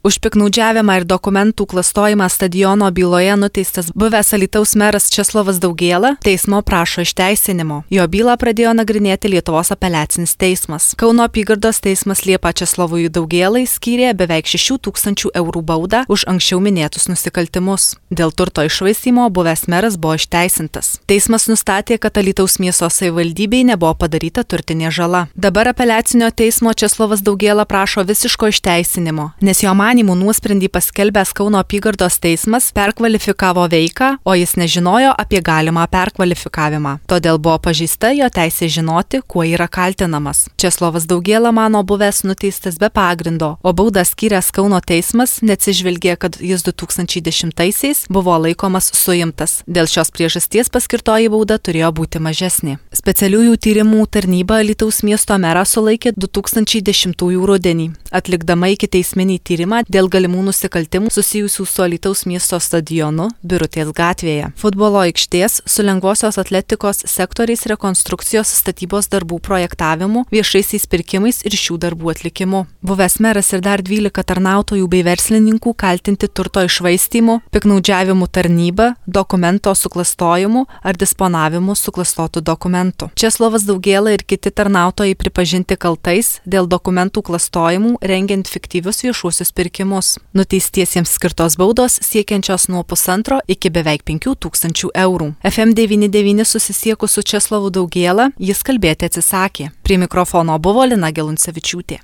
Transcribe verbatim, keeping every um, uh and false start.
Už piktnaudžiavimą ir dokumentų klastojimą stadiono byloje nuteistas buvęs Alytaus meras Česlovas Daugėla teismo prašo išteisinimo. Jo bylą pradėjo nagrinėti Lietuvos apeliacinis teismas. Kauno apygardos teismas Liepą Česlovui Daugėlai skyrė beveik šešių tūkstančių eurų baudą už anksčiau minėtus nusikaltimus. Dėl turto iššvaistymo buvęs meras buvo išteisintas. Teismas nustatė, kad Alytaus miesto savivaldybei nebuvo padaryta turtinė žala. Dabar apeliacinio teismo Česlovas Daugėla prašo visiško išteisinimo, nes jo manymų nuosprendį paskelbęs Kauno apygardos teismas perkvalifikavo veiką, o jis nežinojo apie galimą perkvalifikavimą. Todėl buvo pažeista jo teisė žinoti, kuo yra kaltinamas. Česlovas Daugėla mano buvęs nuteistas be pagrindo, o baudą skyręs Kauno teismas neatsižvelgė, kad jis du tūkstančiai dešimtaisiais buvo laikomas suimtas. Dėl šios priežasties paskirtoji bauda turėjo būti mažesnė. Specialiųjų tyrimų tarnyba Alytaus miesto merą sulaikė du tūkstančiai dešimtųjų rudenį, atlikdama ikiteisminį tyrimą dėl galimų nusikaltimų susijusių su Alytaus miesto stadionu Birutės gatvėje, futbolo aikštės, su lengvosios atletikos sektoriais rekonstrukcijos statybos darbų projektavimu, viešaisiais pirkimais ir šių darbų atlikimu. Buvęs meras ir dar dvylika tarnautojų bei verslininkų kaltinti turto iššvaistymu, piktnaudžiavimu tarnyba, dokumento suklastojimu ar disponavimu suklastotų dokumentų. Česlovas Daugėla ir kiti tarnautojai pripažinti kaltais dėl dokumentų klastojimų rengiant fiktyvius viešuosius pirkimus. Nuteistiesiems skirtos baudos siekiančios nuo pusantro iki beveik penkių tūkstančių eurų. F M devyni devyni susisiekus su Česlovu Daugėla, jis kalbėti atsisakė. Prie mikrofono buvo Lina Geluncevičiūtė.